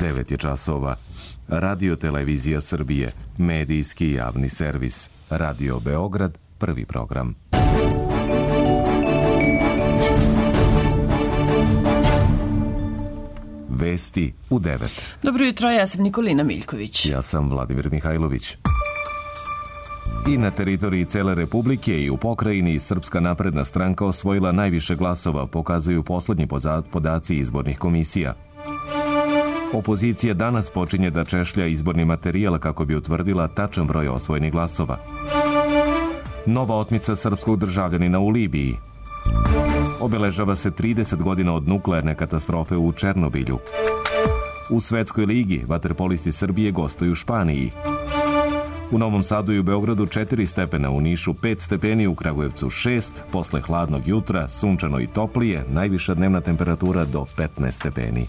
9 je časova. Radio Televizija Srbije, medijski javni servis. Radio Beograd, prvi program. Vesti u 9. Dobro jutro, ja sam Nikolina Miljković. Ja sam Vladimir Mihajlović. I na teritoriji cele Republike i u pokrajini Srpska napredna stranka osvojila najviše glasova, pokazuju poslednji podaci izbornih komisija. Opozicija danas počinje da češlja izborni materijal kako bi utvrdila tačan broj osvojenih glasova. Nova otmica srpskog državljanina u Libiji. Obeležava se 30 godina od nuklearne katastrofe u Černobilju. U Svetskoj ligi vaterpolisti Srbije gostuju u Španiji. U Novom Sadu i u Beogradu 4 stepena, u Nišu 5 stepeni, u Kragujevcu 6, posle hladnog jutra, sunčano i toplije, najviša dnevna temperatura do 15 stepeni.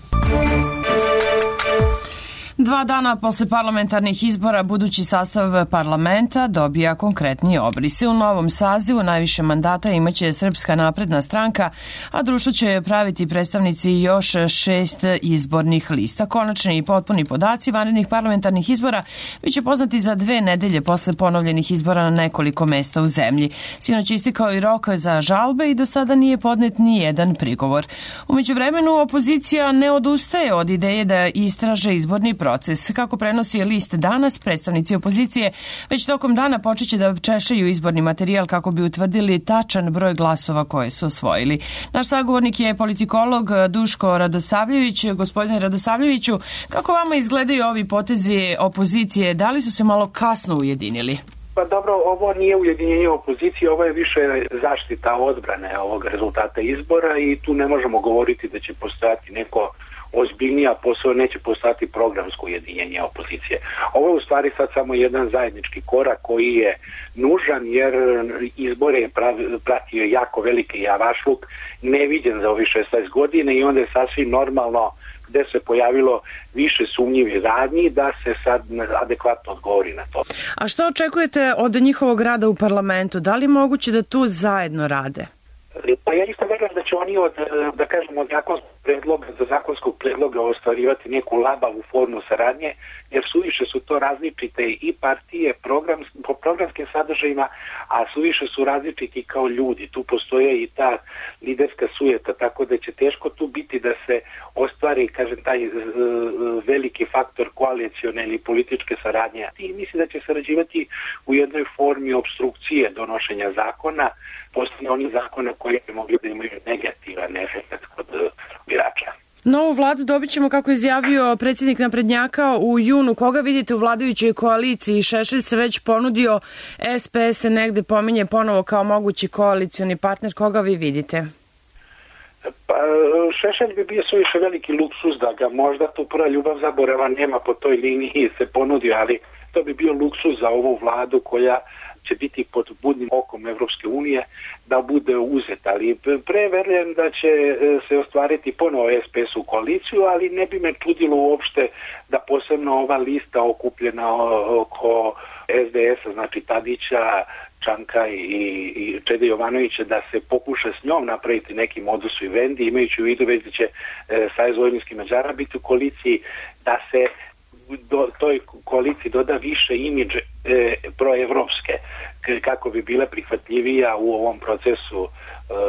2 dana posle parlamentarnih izbora budući sastav parlamenta dobija konkretniji obrise. U novom sazivu najviše mandata imaće Srpska napredna stranka, a društvo će praviti predstavnici još 6 izbornih lista. Konačni i potpuni podaci vanrednih parlamentarnih izbora biće poznati za 2 nedelje posle ponovljenih izbora na nekoliko mesta u zemlji. Sinoć istekao i rok za žalbe i do sada nije podnet ni jedan prigovor. U međuvremenu opozicija ne odustaje od ideje da istraže izborni proces. Kako prenosi list danas, predstavnici opozicije već tokom dana počeće da češaju izborni materijal kako bi utvrdili tačan broj glasova koje su osvojili. Naš sagovornik je politikolog Duško Radosavljević. Gospodine Radosavljeviću, kako vama izgledaju ovi potezi opozicije? Da li su se malo kasno ujedinili? Pa dobro, ovo nije ujedinjenje opozicije, ovo je više zaštita odbrane ovog rezultata izbora i tu ne možemo govoriti da će postojati neko ozbiljnija posao, neće postati programsko ujedinjenje opozicije. Ovo je u stvari sad samo jedan zajednički korak koji je nužan jer izbore je pratio jako veliki javašluk, neviđen za ovih 16 godina i onda je sasvim normalno gde se pojavilo više sumnjivih radnji da se sad adekvatno odgovori na to. A što očekujete od njihovog rada u parlamentu? Da li je moguće da tu zajedno rade? Pa ja isto verujem da će oni od zakonskog predloga ostvarivati neku labavu formu saradnje, jer suviše su to različite i partije po programskim sadržajima, a suviše su različiti kao ljudi. Tu postoje i ta liderska sujeta, tako da će teško tu biti da se ostvari, taj veliki faktor koalicione ili političke saradnje. I mislim da će sarađivati u jednoj formi obstrukcije donošenja zakona, postoje oni zakona koji bi mogli da imaju negativan efekt kod birača. Novu vladu dobit ćemo, kako izjavio predsjednik naprednjaka, u junu. Koga vidite u vladajućoj koaliciji? Šešelj se već ponudio, SPS se negde pominje ponovo kao mogući koalicioni partner. Koga vi vidite? Pa, Šešelj bi bio suviše veliki luksuz da ga možda tu prva ljubav zaborava nema po toj liniji se ponudio, ali to bi bio luksuz za ovu vladu koja će biti pod budnim okom Evropske unije da bude uzeta, ali verujem da će se ostvariti ponovo SPS u koaliciju, ali ne bi me čudilo uopšte da posebno ova lista okupljena oko SDS-a, znači Tadića, Čanka i Čede Jovanovića, da se pokuša s njom napraviti neki modus vivendi, imajući u vidu već da će Savez vojvođanskih Mađara biti u koaliciji, da se toj koaliciji doda više imidž proevropske, kako bi bila prihvatljivija u ovom procesu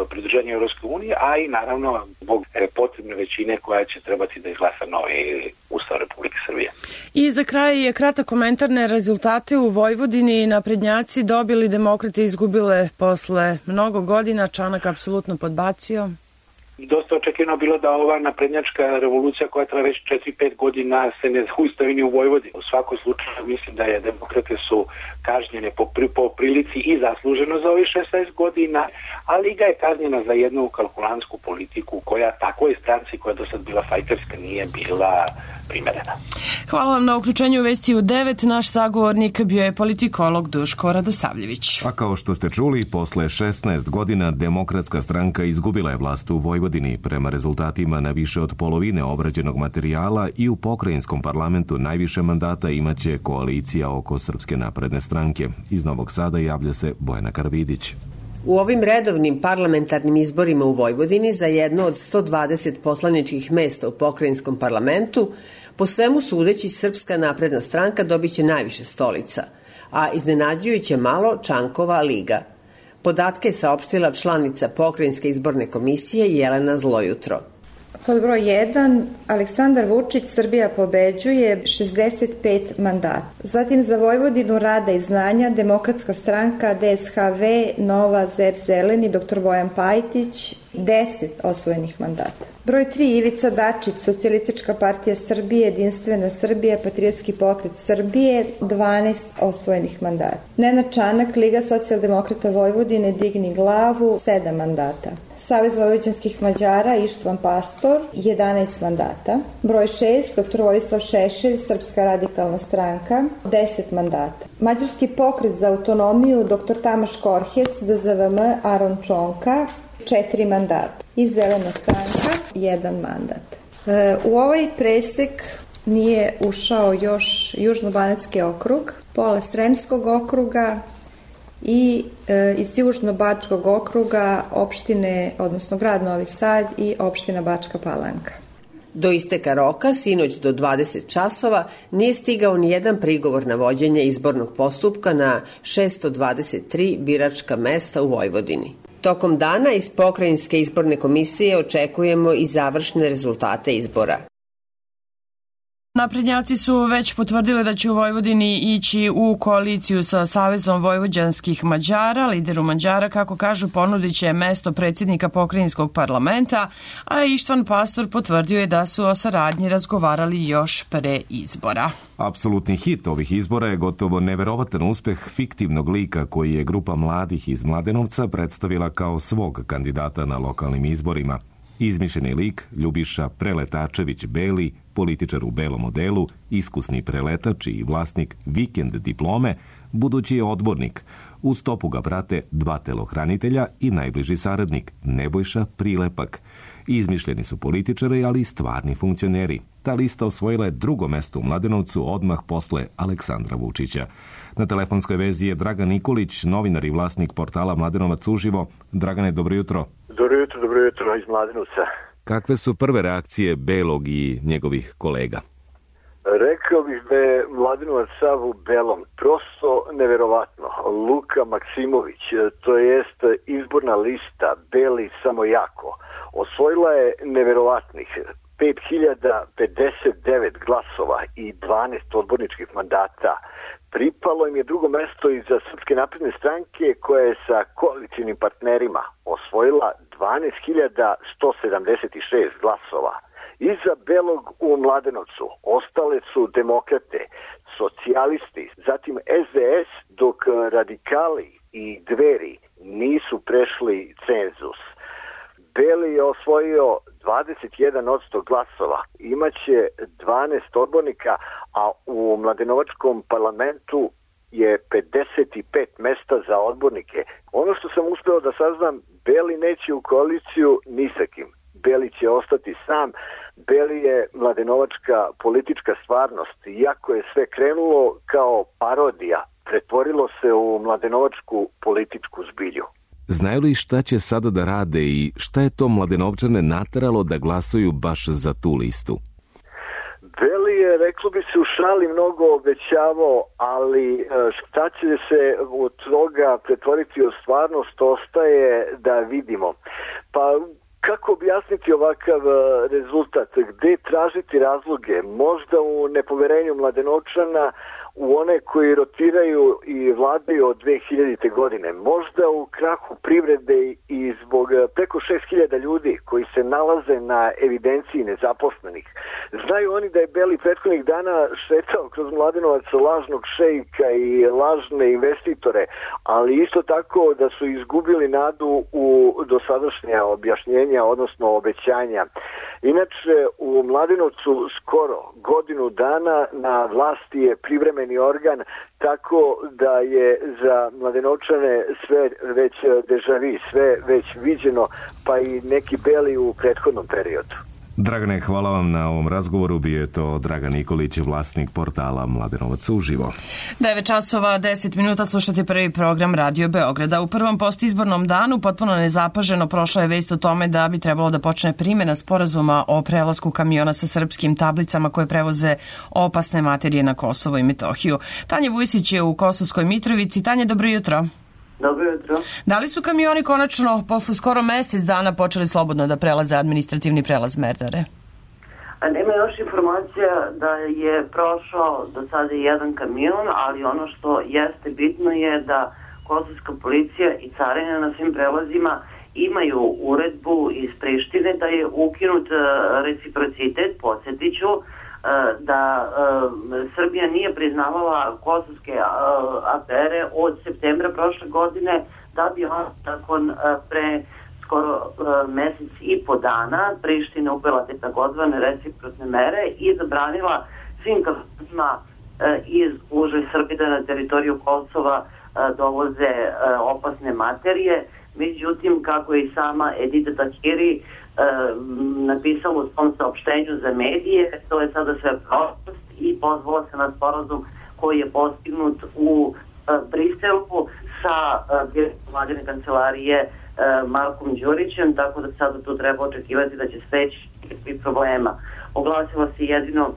pridruženja Evropske unije, a i naravno zbog potrebne većine koja će trebati da izglasa novi Ustav Republike Srbije. I za kraj je kratak komentar na rezultate u Vojvodini. Naprednjaci dobili, demokrate izgubile posle mnogo godina, Čanak apsolutno podbacio. Dosta očekivano bilo da ova naprednjačka revolucija koja traje već 4-5 godina se ne zaustavi ni u Vojvodini. U svakom slučaju mislim da je demokrate su kažnjene po prilici i zasluženo za ovih 16 godina, a Liga je kažnjena za jednu kalkulantsku politiku koja takvoj stranci koja do sad bila fajterska nije bila primerena. Hvala vam na uključenju u Vesti u 9. Naš sagovornik bio je politikolog Duško Radosavljević. A kao što ste čuli, posle 16 godina Demokratska stranka izgubila je vlast u Vojvodini. Prema rezultatima na više od polovine obrađenog materijala i u pokrajinskom parlamentu najviše mandata imaće koalicija oko Srpske napredne stranke. Iz Novog Sada javlja se Bojana Karavidić. U ovim redovnim parlamentarnim izborima u Vojvodini za jedno od 120 poslaničkih mesta u pokrajinskom parlamentu, po svemu sudeći Srpska napredna stranka dobiće najviše stolica, a iznenađujuće malo Čankova liga. Podatke je saopštila članica Pokrajinske izborne komisije Jelena Zlojutro. Pod broj 1, Aleksandar Vučić, Srbija pobeđuje, 65 mandata. Zatim za Vojvodinu rada i znanja, Demokratska stranka, DSHV, Nova, ZEP, Zeleni, dr. Bojan Pajtić, 10 osvojenih mandata. Broj 3, Ivica Dačić, Socijalistička partija Srbije, Jedinstvena Srbija, Patriotski pokret Srbije, 12 osvojenih mandata. Nenad Čanak, Liga socijaldemokrata Vojvodine, Digni glavu, 7 mandata. Savez vojvođanskih Mađara, Ištvan Pastor, 11 mandata. Broj 6, dr. Vojislav Šešelj, Srpska radikalna stranka, 10 mandata. Mađarski pokret za autonomiju, dr. Tamaš Korhec, DZVM, Aron Čonka, 4 mandata. I Zelena stranka, 1 mandat. U ovaj presek nije ušao još Južnobanatski okrug, pola Sremskog okruga i iz Južno-Bačkog okruga opštine, odnosno grad Novi Sad i opština Bačka Palanka. Do isteka roka, sinoć do 20 časova, nije stigao ni jedan prigovor na vođenje izbornog postupka na 623 biračka mesta u Vojvodini. Tokom dana iz Pokrajinske izborne komisije očekujemo i završne rezultate izbora. Naprednjaci su već potvrdili da će u Vojvodini ići u koaliciju sa Savezom vojvođanskih Mađara. Lideru Mađara, kako kažu, ponudit će mesto predsjednika pokrajinskog parlamenta, a Ištvan Pastor potvrdio je da su o saradnji razgovarali još pre izbora. Apsolutni hit ovih izbora je gotovo neverovatan uspeh fiktivnog lika koji je grupa mladih iz Mladenovca predstavila kao svog kandidata na lokalnim izborima. Izmišljeni lik Ljubiša Preletačević Beli, političar u belom odelu, iskusni preletač i vlasnik vikend diplome, budući je odbornik. U stopu ga prate 2 telohranitelja i najbliži saradnik Nebojša Prilepak. Izmišljeni su političari, ali i stvarni funkcioneri. Ta lista osvojila je 2. mesto u Mladenovcu odmah posle Aleksandra Vučića. Na telefonskoj vezi je Dragan Nikolić, novinar i vlasnik portala Mladenovac uživo. Dragane, dobro jutro. Dobro jutro iz Mladenovca. Kakve su prve reakcije Belog i njegovih kolega? Rekao bih da je Mladenovac sav u belom. Prosto neverovatno. Luka Maksimović, to jest izborna lista Beli samo jako, osvojila je neverovatnih 5059 glasova i 12 odborničkih mandata. Pripalo im je 2. mesto iza Srpske napredne stranke koja je sa koalicijnim partnerima osvojila 12.176 glasova. Iza Belog u Mladenovcu ostale su demokrate, socijalisti, zatim SDS, dok radikali i Dveri nisu prešli cenzus. Beli je osvojio 21% glasova, imaće 12 odbornika, a u Mladenovačkom parlamentu je 55 mesta za odbornike. Ono što sam uspeo da saznam, Beli neće u koaliciju ni sa kim. Beli će ostati sam. Beli je mladenovačka politička stvarnost. Iako je sve krenulo kao parodija, pretvorilo se u mladenovačku političku zbilju. Znaju li šta će sada da rade i šta je to Mladenovčane nateralo da glasaju baš za tu listu? Beli je, reklo bi se, u šali mnogo obećavao, ali šta će se od toga pretvoriti u stvarnost ostaje da vidimo. Pa kako objasniti ovakav rezultat? Gde tražiti razloge? Možda u nepoverenju Mladenovčana u one koji rotiraju i vladaju od 2000. godine. Možda u krahu privrede i zbog preko 6000 ljudi koji se nalaze na evidenciji nezaposlenih. Znaju oni da je Beli prethodnih dana šetao kroz Mladenovac lažnog šejka i lažne investitore, ali isto tako da su izgubili nadu u dosadašnja objašnjenja, odnosno obećanja. Inače, u Mladenovcu skoro godinu dana na vlasti je privremeni organ, tako da je za Mladenovčane sve već deja vu, sve već viđeno, pa i neki Beli u prethodnom periodu. Dragane, hvala vam na ovom razgovoru. Bio je to Dragan Nikolić, vlasnik portala Mladenovac uživo. 9 časova 10 minuta slušate prvi program Radio Beograda. U prvom postizbornom danu potpuno nezapaženo prošla je vest o tome da bi trebalo da počne primjena sporazuma o prelasku kamiona sa srpskim tablicama koje prevoze opasne materije na Kosovo i Metohiju. Tanja Vujsić je u Kosovskoj Mitrovici. Tanja, dobro jutro. Dobro jutro. Da li su kamioni konačno posle skoro mesec dana počeli slobodno da prelaze administrativni prelaz Merdare? Nema još informacija da je prošao do sada jedan kamion, ali ono što jeste bitno je da kosovska policija i carina na svim prelazima imaju uredbu iz Prištine da je ukinut reciprocitet. Podsjetiću da Srbija nije priznavala kosovske afere od septembra prošle godine, da bi on nakon pre skoro mesec i po dana Priština uvela te takozvane reciprocne mere i zabranila svim kamionima iz uže Srbije da na teritoriju Kosova dovoze opasne materije. Međutim, kako je i sama Edita Tahiri napisala u svom saopštenju za medije, to je sada sve prošlost i pozvala se na sporazum koji je postignut u Briselu sa direktorom vladine kancelarije Markom Đurićem, tako da sada tu treba očekivati da će steći problema. Oglasilo se jedino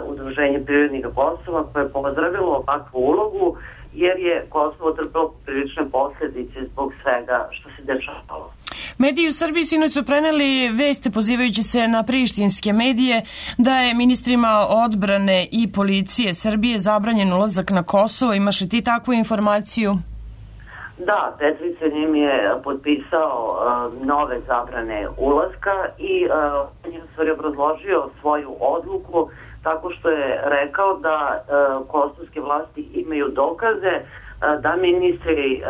Udruženje privrednika Kosova koje je pozdravilo ovakvu ulogu jer je Kosovo trpelo prilične posljedice zbog svega što se dešavalo. Mediji u Srbiji sinoć su preneli veste pozivajući se na prištinske medije da je ministrima odbrane i policije Srbije zabranjen ulazak na Kosovo. Imaš li ti takvu informaciju? Da, Petvićanin je potpisao nove zabrane ulaska i on je u stvari obrazložio svoju odluku tako što je rekao da kosovske vlasti imaju dokaze da ministri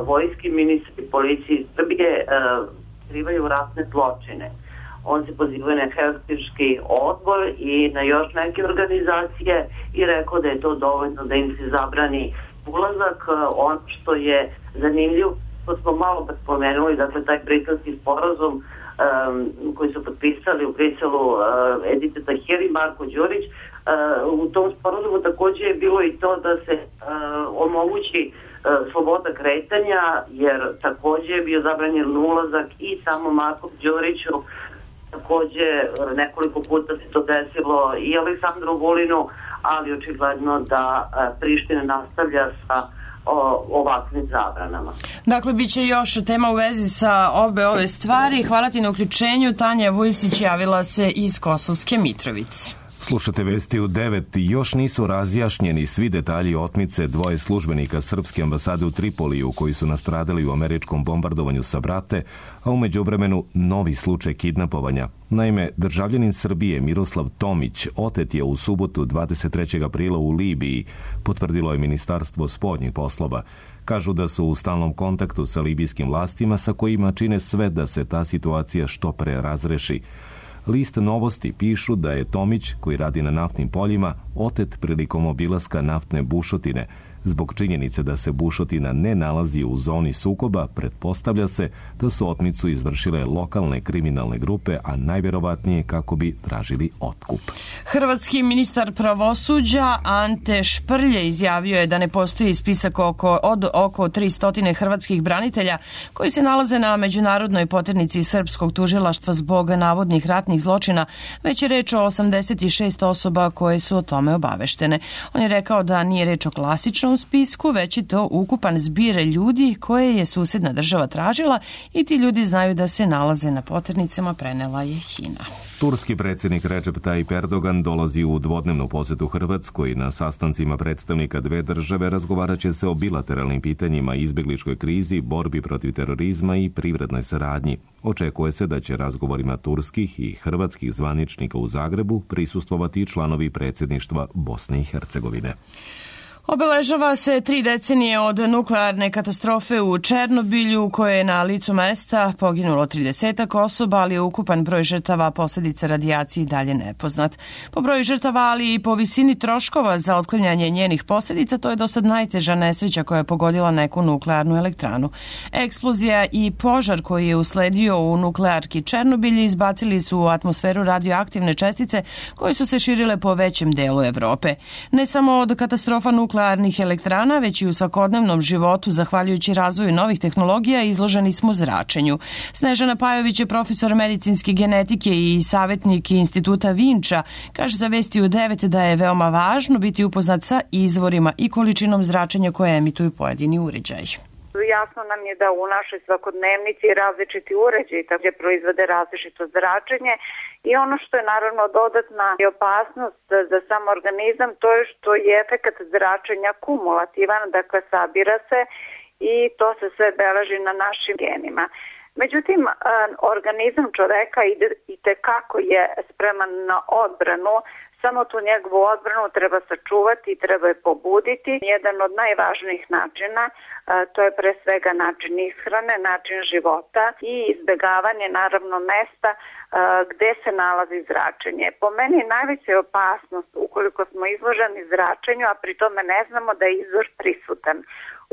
vojske, ministri policije Srbije skrivaju ratne zločine. On se pozivao na Helsinški odbor i na još neke organizacije i rekao da je to dovoljno da im se zabrani ulazak. Ono što je zanimljivo, to smo malo spomenuli, dakle taj britanski sporazum koji su potpisali u Briselu Edita Tahiri i Marko Đurić, u tom sporazumu također je bilo i to da se omogući sloboda kretanja, jer također je bio zabranjen ulazak i samo Marko Đuriću, također nekoliko puta se to desilo i Aleksandru Vulinu, ali očigledno da Priština nastavlja sa ovakvim zabranama. Dakle, bit će još tema u vezi sa obe ove stvari. Hvala ti na uključenju. Tanja Vujsić javila se iz Kosovske Mitrovice. Slušate vesti u 9. Još nisu razjašnjeni svi detalji otmice dvoje službenika Srpske ambasade u Tripoliju koji su nastradali u američkom bombardovanju sa Brate, a u međuvremenu novi slučaj kidnapovanja. Naime, državljanin Srbije Miroslav Tomić otet je u subotu 23. aprila u Libiji, potvrdilo je Ministarstvo spoljnih poslova. Kažu da su u stalnom kontaktu sa libijskim vlastima sa kojima čine sve da se ta situacija što pre razreši. List Novosti pišu da je Tomić, koji radi na naftnim poljima, otet prilikom obilaska naftne bušotine. Zbog činjenice da se bušotina ne nalazi u zoni sukoba, pretpostavlja se da su otmicu izvršile lokalne kriminalne grupe, a najvjerovatnije kako bi tražili otkup. Hrvatski ministar pravosuđa Ante Šprlje izjavio je da ne postoji spisak od oko 300 hrvatskih branitelja koji se nalaze na međunarodnoj poternici srpskog tužilaštva zbog navodnih ratnih zločina, već je reč o 86 osoba koje su o tome obaveštene. On je rekao da nije reč o klasičnom spisku, već je to ukupan zbir ljudi koje je susedna država tražila i ti ljudi znaju da se nalaze na poternicama, prenela je HINA. Turski predsjednik Recep Tayyip Erdogan dolazi u dvodnevnu posjetu Hrvatskoj. Na sastancima predstavnika dve države razgovarat će se o bilateralnim pitanjima, izbjegličkoj krizi, borbi protiv terorizma i privrednoj saradnji. Očekuje se da će razgovorima turskih i hrvatskih zvaničnika u Zagrebu prisustvovati članovi predsjedništva Bosne i Hercegovine. Obeležava se 3 decenije od nuklearne katastrofe u Černobilju, u kojoj je na licu mesta poginulo 30 osoba, ali je ukupan broj žrtava posledica radijacije i dalje nepoznat. Po broju žrtava, ali i po visini troškova za otklanjanje njenih posledica, to je do sad najteža nesreća koja je pogodila neku nuklearnu elektranu. Eksplozija i požar koji je usledio u nuklearki Černobilj izbacili su u atmosferu radioaktivne čestice koje su se širile po većem delu Evrope. Ne samo od katastrofa nuklearnih elektrana, već i u svakodnevnom životu, zahvaljujući razvoju novih tehnologija, izloženi smo zračenju. Snežana Pajović je profesor medicinske genetike i savjetnik Instituta Vinča. Kaže za Vesti u 9 da je veoma važno biti upoznat sa izvorima i količinom zračenja koje emituju pojedini uređaji. Jasno nam je da u našoj svakodnevnici različiti uređaji takođe proizvode različito zračenje i ono što je naravno dodatna opasnost za sam organizam, to je što je efekat zračenja kumulativan, dakle sabira se i to se sve beleži na našim genima. Međutim, organizam čoveka i tekako je spreman na odbranu. Samo tu njegovu odbranu treba sačuvati, treba je pobuditi. Jedan od najvažnijih načina, to je pre svega način ishrane, način života i izbegavanje naravno mesta gde se nalazi zračenje. Po meni najveća je opasnost ukoliko smo izloženi zračenju, a pri tome ne znamo da je izvor prisutan.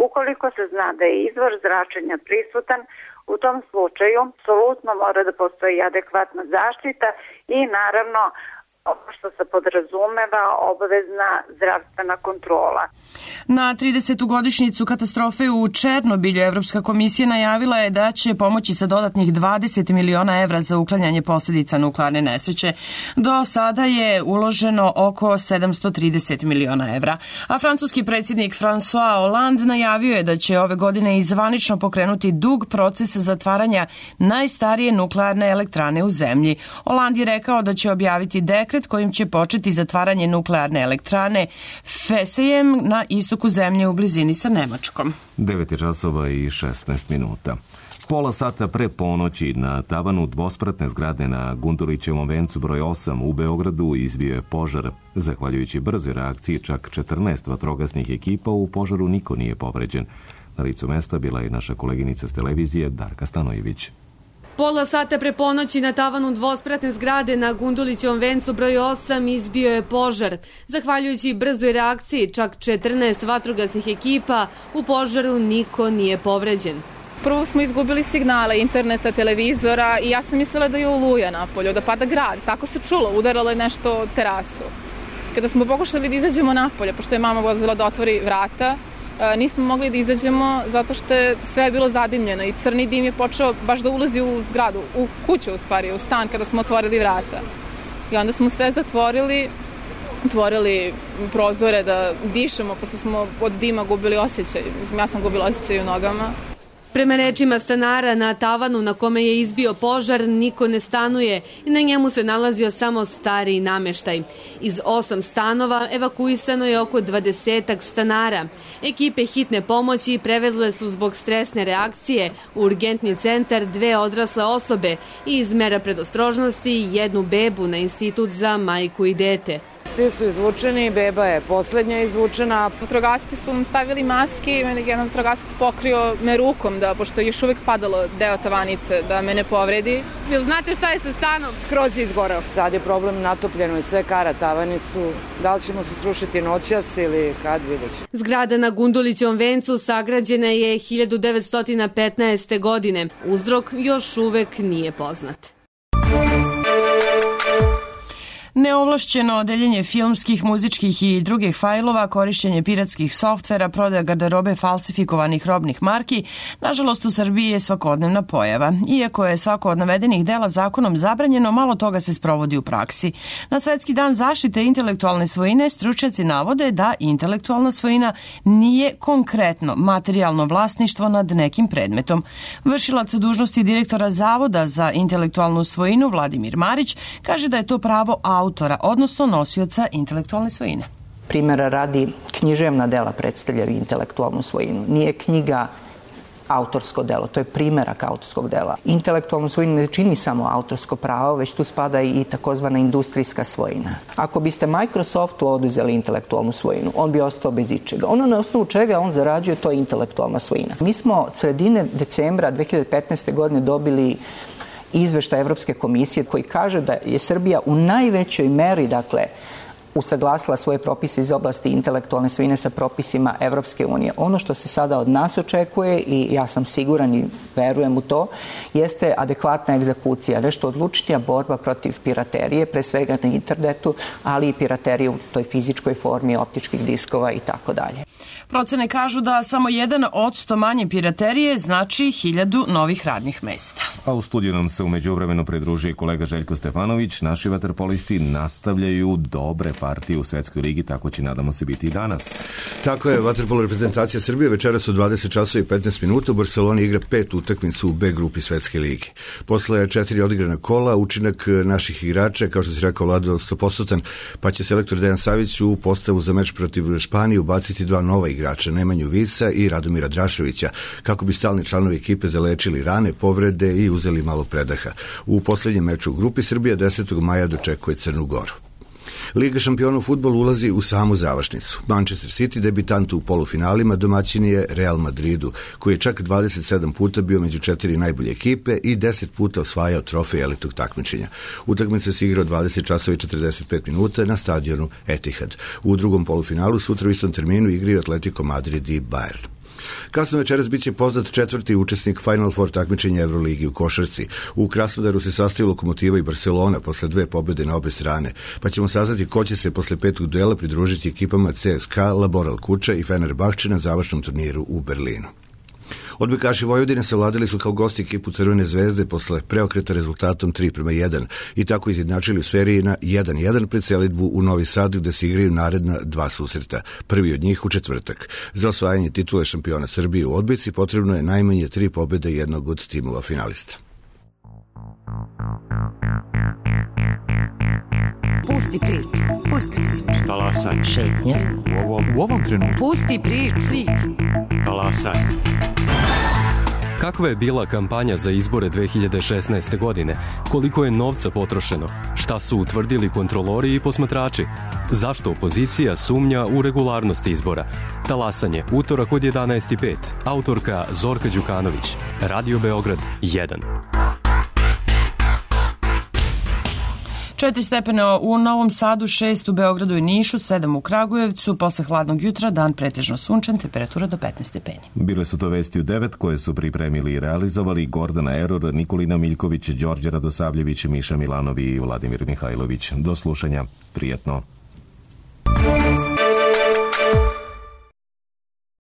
Ukoliko se zna da je izvor zračenja prisutan, u tom slučaju apsolutno mora da postoji adekvatna zaštita i naravno što se podrazumeva obavezna zdravstvena kontrola. Na 30. godišnjicu katastrofe u Černobilju Evropska komisija najavila je da će pomoći sa dodatnih 20 miliona evra za uklanjanje posledica nuklearne nesreće. Do sada je uloženo oko 730 miliona evra, a francuski predsjednik François Hollande najavio je da će ove godine zvanično pokrenuti dug proces zatvaranja najstarije nuklearne elektrane u zemlji. Hollande je rekao da će objaviti dekret kojim će početi zatvaranje nuklearne elektrane Fessejem na istoku zemlje u blizini sa Nemačkom. 9 časova i 16 minuta. Pola sata pre ponoći na tavanu dvospratne zgrade na Gundulićevom vencu broj 8 u Beogradu izbio je požar. Zahvaljujući brzoj reakciji čak 14 vatrogasnih ekipa, u požaru niko nije povređen. Na licu mesta bila je naša koleginica s televizije Darka Stanojević. Pola sata pre ponoći na tavanu dvospratne zgrade na Gundulićevom vencu broj 8 izbio je požar. Zahvaljujući brzoj reakciji čak 14 vatrogasnih ekipa, u požaru niko nije povređen. Prvo smo izgubili signale interneta, televizora i ja sam mislila da je oluja napolju, da pada grad. Tako se čulo, udaralo je nešto o terasu. Kada smo pokušali da izađemo napolje, pošto je mama vozila da otvori vrata, nismo mogli da izađemo zato što je sve bilo zadimljeno i crni dim je počeo baš da ulazi u zgradu, u kuću u stvari, u stan kada smo otvorili vrata. I onda smo sve zatvorili, otvorili prozore da dišemo, pošto smo od dima gubili osjećaj. Mislim, ja sam gubila osjećaj u nogama. Prema rečima stanara, na tavanu na kome je izbio požar niko ne stanuje i na njemu se nalazio samo stariji nameštaj. Iz 8 stanova evakuisano je oko 20 stanara. Ekipe hitne pomoći prevezle su zbog stresne reakcije u urgentni centar 2 odrasle osobe i iz mera predostrožnosti 1 bebu na Institut za majku i dete. Svi su izvučeni, beba je poslednja izvučena. Vatrogasci su mu stavili maske, jedan vatrogasac pokrio me rukom, pošto je još uvek padalo deo tavanice, da me ne povredi. Jel znate šta je sa stanom? Skroz je izgoreo. Sad je problem, natopljeno je sve kara, tavani su. Da li ćemo se srušiti noćas ili kad, vidjet ćemo. Zgrada na Gundulićevom vencu sagrađena je 1915. godine. Uzrok još uvek nije poznat. Neovlašćeno deljenje filmskih, muzičkih i drugih fajlova, korišćenje piratskih softvera, prodaja garderobe falsifikovanih robnih marki, nažalost u Srbiji je svakodnevna pojava. Iako je svako od navedenih dela zakonom zabranjeno, malo toga se sprovodi u praksi. Na Svetski dan zaštite intelektualne svojine stručnjaci navode da intelektualna svojina nije konkretno materijalno vlasništvo nad nekim predmetom. Vršilac dužnosti direktora Zavoda za intelektualnu svojinu Vladimir Marić kaže da je to pravo autora, odnosno nosioca intelektualne svojine. Primjera radi, književna dela predstavljaju intelektualnu svojinu. Nije knjiga autorsko delo, to je primerak autorskog dela. Intelektualnu svojinu ne čini samo autorsko pravo, već tu spada i takozvana industrijska svojina. Ako biste Microsoftu oduzeli intelektualnu svojinu, on bi ostao bez ičega. Ono na osnovu čega on zarađuje, to je intelektualna svojina. Mi smo od sredine decembra 2015. godine dobili izveštaj Evropske komisije koji kaže da je Srbija u najvećoj meri, usaglasila svoje propise iz oblasti intelektualne svojine sa propisima Evropske unije. Ono što se sada od nas očekuje, i ja sam siguran i verujem u to, jeste adekvatna egzekucija, nešto odlučnija borba protiv piraterije, pre svega na internetu, ali i piraterije u toj fizičkoj formi optičkih diskova i tako dalje. Procene kažu da samo 1% manje piraterije znači 1000 novih radnih mesta. A u studiju nam se umeđu vremenu pridružuje kolega Željko Stefanović. Naši vaterpolisti nastavljaju dobre partije u Svetskoj ligi, tako će, nadamo se, biti i danas. Tako je, vaterpolo reprezentacija Srbije večeras od 20 časova i 15 minuta u Barceloni igra 5 utakmicu u B grupi Svetske lige. Posle 4 odigrana kola, učinak naših igrača, kao što si rekao, Vlado, 100%, pa će selektor Dejan Savić u postavu za meč protiv Španije ubaciti 2 nova igrača, Nemanju Vica i Radomira Drašovića, kako bi stalni članovi ekipe zalečili rane, povrede i uzeli malo predaha. U poslednjem meču u grupi Srbija 10. maja dočekuje Crnu Goru. Liga šampiona u fudbalu ulazi u samu završnicu. Manchester City, debitant u polufinalima, domaćin je Real Madridu, koji je čak 27 puta bio među 4 najbolje ekipe i 10 puta osvajao trofej elitnog takmičenja. Utakmica se igra od 20 časova i 45 minuta na stadionu Etihad. U drugom polufinalu sutra u istom terminu igraju Atletico Madrid i Bayern. Kasno večeras biće poznat 4. učesnik Final Four takmičenja Euroligi u košarci. U Krasnodaru se sastaju Lokomotiva i Barcelona posle 2 pobjede na obe strane, pa ćemo saznati ko će se posle 5. duela pridružiti ekipama CSKA, Laboral Kuča i Fenerbahče na završnom turniru u Berlinu. Odbojkaši Vojvodine savladali su kao gosti ekipu Crvene zvezde posle preokreta rezultatom 3:1 i tako izjednačili u seriji na 1:1 pred selidbu u Novi Sad, gde se igraju naredna 2 susreta, prvi od njih u četvrtak. Za osvajanje titule šampiona Srbije u odbojci potrebno je najmanje 3 pobjede jednog od timova finalista. Pusti priču, pusti priču. Talasaj. Šetnja. U ovom trenutku. Pusti priču. Talasaj. Kakva je bila kampanja za izbore 2016. godine? Koliko je novca potrošeno? Šta su utvrdili kontrolori i posmatrači? Zašto opozicija sumnja u regularnost izbora? Talasanje, utorak od 11:05. Autorka Zorka Đukanović. Radio Beograd 1. 4 stepena u Novom Sadu, 6 u Beogradu i Nišu, 7 u Kragujevcu. Posle hladnog jutra dan pretežno sunčan, temperatura do 15 stepeni. Bile su to vesti u 9 koje su pripremili i realizovali Gordana Eror, Nikolina Miljković, Đorđe Radosavljević, Miša Milanovi i Vladimir Mihajlović. Do slušanja, prijetno.